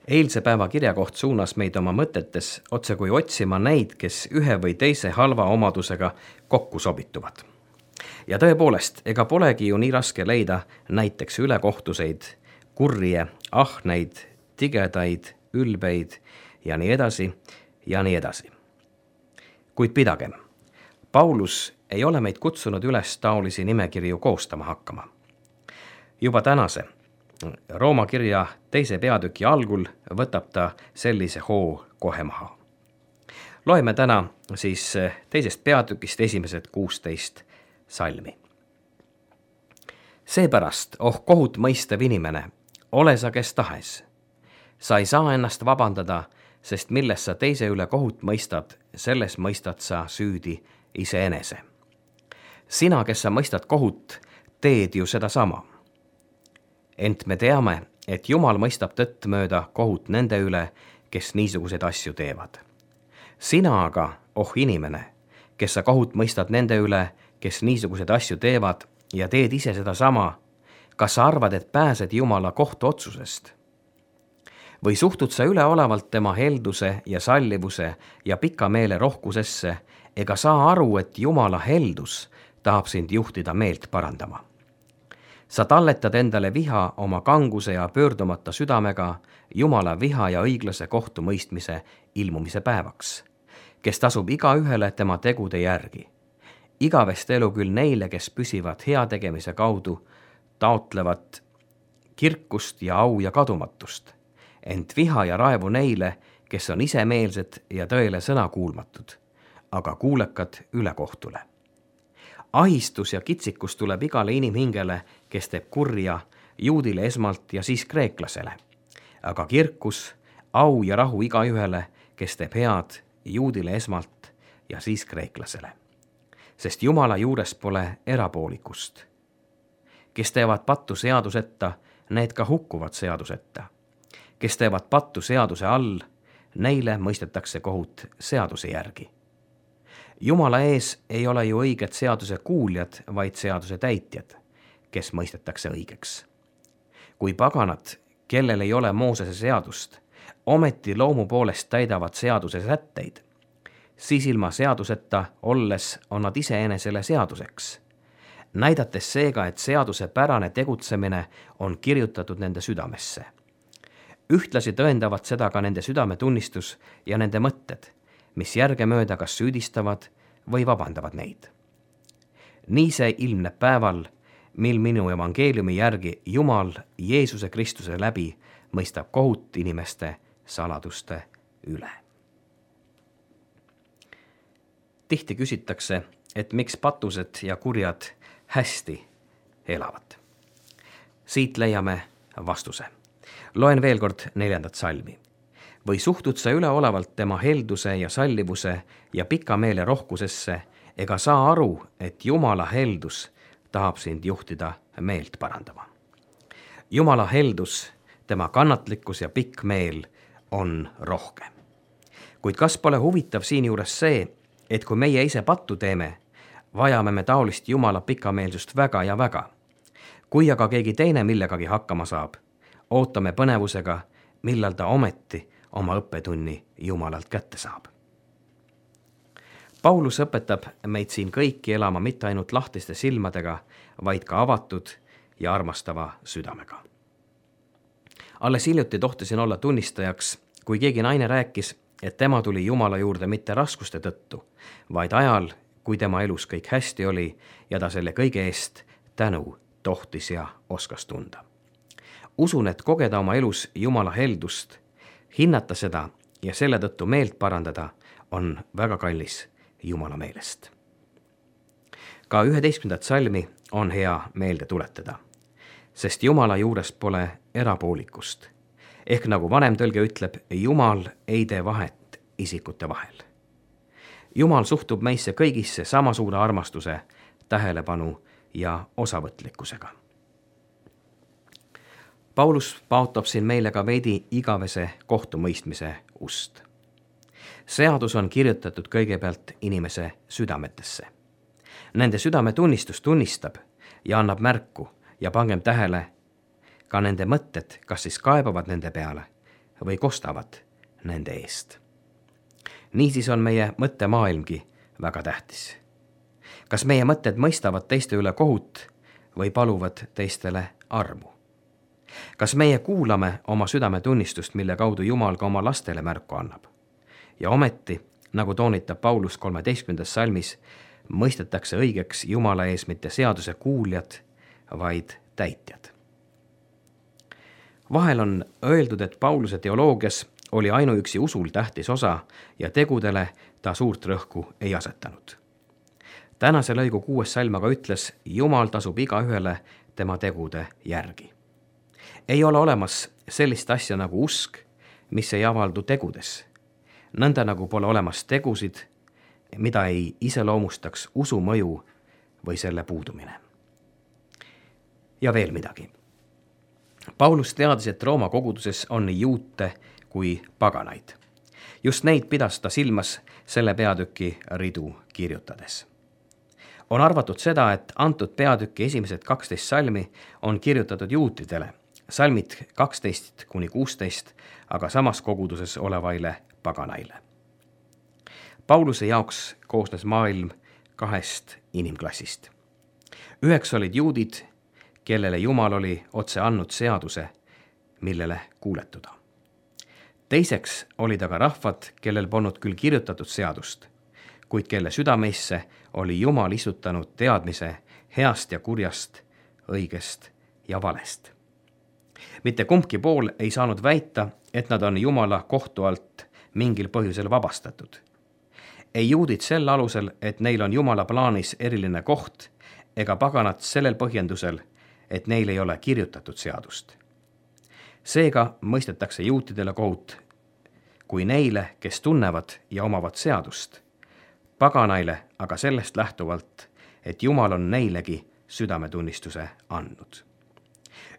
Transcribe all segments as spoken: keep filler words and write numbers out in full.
Eilse päeva kirjakoht suunas meid oma mõtetes otse kui otsima neid, kes ühe või teise halva omadusega kokku sobituvad. Ja tõepoolest, ega polegi ju nii raske leida näiteks ülekohtuseid, kurje, ahneid, tigedaid, ülbeid ja nii edasi ja nii edasi. Kuid pidagem, Paulus ei ole meid kutsunud üles taolisi nimekirju koostama hakkama. Juba tänase Rooma kirja teise peatüki algul võtab ta sellise hoo kohe maha. Loeme täna siis teisest peatükist esimesed kuusteist salmi. Seepärast, oh kohut mõistev inimene, ole sa kes tahes. Sa ei saa ennast vabandada, sest milles sa teise üle kohut mõistad, selles mõistad sa süüdi iseenese. Sina, kes sa mõistad kohut, teed ju seda sama. Ent me teame, et Jumal mõistab tõtt mööda kohut nende üle, kes niisuguseid asju teevad. Sina aga, oh inimene, kes sa kohut mõistad nende üle, kes niisuguseid asju teevad ja teed ise seda sama, kas sa arvad, et pääsed Jumala kohtuotsusest? Või suhtud sa üleolevalt tema helduse ja sallivuse ja pika meele rohkusesse, ega saa aru, et Jumala heldus tahab sind juhtida meelt parandama? Sa talletad endale viha oma kanguse ja pöördumata südamega Jumala viha ja õiglase kohtumõistmise ilmumise päevaks, kes tasub iga ühele tema tegude järgi. Igavest elu küll neile, kes püsivad heategemise kaudu, taotlevad kirkust ja au ja kadumatust, ent viha ja raevu neile, kes on isemeelsed ja tõele sõna kuulmatud, aga kuulekad ülekohtule. Ahistus ja kitsikus tuleb igale inimhingele, kes teeb kurja, juudile esmalt ja siis kreeklasele. Aga kirkus, au ja rahu igaühele, kes teeb head, juudile esmalt ja siis kreeklasele. Sest Jumala juures pole erapoolikust. Kes teevad pattu seadusetta, need ka hukkuvad seadusetta. Kes teevad pattu seaduse all, neile mõistetakse kohut seaduse järgi. Jumala ees ei ole ju õiged seaduse kuuljad, vaid seaduse täitjad, kes mõistetakse õigeks. Kui paganad, kellel ei ole Moosese seadust, ometi loomu poolest täidavad seaduse sätteid, siis ilma seaduseta olles on nad iseenesele seaduseks, näidates seega, et seaduse pärane tegutsemine on kirjutatud nende südamesse. Ühtlasi tõendavad seda ka nende südametunnistus ja nende mõtted, mis järgemööda kas süüdistavad või vabandavad neid. Nii see ilmneb päeval, mil minu evangeeliumi järgi Jumal Jeesuse Kristuse läbi mõistab kohut inimeste saladuste üle. Tihti küsitakse, et miks patused ja kurjad hästi elavad. Siit leiame vastuse. Loen veel kord neljandat salmi. Või suhtud sa üleolevalt tema helduse ja sallivuse ja pika meele rohkusesse, ega saa aru, et Jumala heldus tahab sind juhtida meelt parandama. Jumala heldus, tema kannatlikkus ja pikk meel on rohke. Kuid kas pole huvitav siinjuures see, et kui meie ise pattu teeme, vajame me taolist Jumala pikameelsust väga ja väga. Kui aga keegi teine millegagi hakkama saab, ootame põnevusega, millal ta ometi oma õppetunni Jumalalt kätte saab. Paulus õpetab meid siin kõiki elama mitte ainult lahtiste silmadega, vaid ka avatud ja armastava südamega. Alles hiljuti tohtisin olla tunnistajaks, kui keegi naine rääkis, et tema tuli Jumala juurde mitte raskuste tõttu, vaid ajal, kui tema elus kõik hästi oli ja ta selle kõige eest tänu tohtis ja oskas tunda. Usun, et kogeda oma elus Jumala heldust, hinnata seda ja selle tõttu meelt parandada on väga kallis Jumala meelest. Ka üheteistkümnendat salmi on hea meelde tuletada, sest Jumala juures pole erapoolikust. Ehk nagu vanem tõlge ütleb, Jumal ei tee vahet isikute vahel. Jumal suhtub meisse kõigisse sama suure armastuse, tähelepanu ja osavõtlikkusega. Paulus paotab siin meile ka veidi igavese kohtumõistmise ust. Seadus on kirjutatud kõigepealt inimese südametesse. Nende südametunnistus tunnistab ja annab märku ja pangem tähele ka nende mõtted, kas siis kaebavad nende peale või kostavad nende eest. Niisiis on meie mõttemaailmgi väga tähtis. Kas meie mõtted mõistavad teiste üle kohut või paluvad teistele armu? Kas meie kuulame oma südametunnistust, mille kaudu Jumal ka oma lastele märku annab? Ja ometi, nagu toonitab Paulus kolmeteistkümnendas salmis, mõistetakse õigeks Jumala ees mitte seaduse kuuljad, vaid täitjad. Vahel on öeldud, et Pauluse teoloogias oli ainuüksi usul tähtis osa ja tegudele ta suurt rõhku ei asetanud. Tänase lõigu kuues salm aga ütles, Jumal tasub igaühele tema tegude järgi. Ei ole olemas sellist asja nagu usk, mis ei avaldu tegudes. Nõnda nagu pole olemas tegusid, mida ei iseloomustaks usu mõju või selle puudumine. Ja veel midagi. Paulus teadis, et Rooma koguduses on nii juute kui paganaid. Just neid pidas ta silmas selle peatüki ridu kirjutades. On arvatud seda, et antud peatüki esimesed kaksteist salmi on kirjutatud juutidele, salmid kaksteist kuni kuusteist, aga samas koguduses olevaile paganaile. Pauluse jaoks koosnes maailm kahest inimklassist. Üheks olid juudid, kellele Jumal oli otse andnud seaduse, millele kuuletuda. Teiseks olid aga rahvad, kellel polnud küll kirjutatud seadust, kuid kelle südameisse oli Jumal istutanud teadmise heast ja kurjast, õigest ja valest. Mitte kumbki pool ei saanud väita, et nad on Jumala kohtu alt mingil põhjusel vabastatud. Ei juudid sel alusel, et neil on Jumala plaanis eriline koht, ega paganad sellel põhjendusel, et neil ei ole kirjutatud seadust. Seega mõistetakse juutidele kohut kui neile, kes tunnevad ja omavad seadust, paganaile aga sellest lähtuvalt, et Jumal on neilegi südametunnistuse andnud.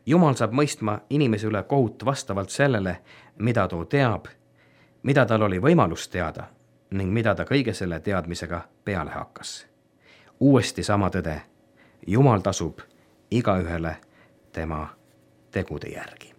Jumal saab mõistma inimese üle kohut vastavalt sellele, mida too teab, mida tal oli võimalus teada ning mida ta kõige selle teadmisega peale hakkas. Uuesti sama tõde, Jumal tasub igaühele tema tegude järgi.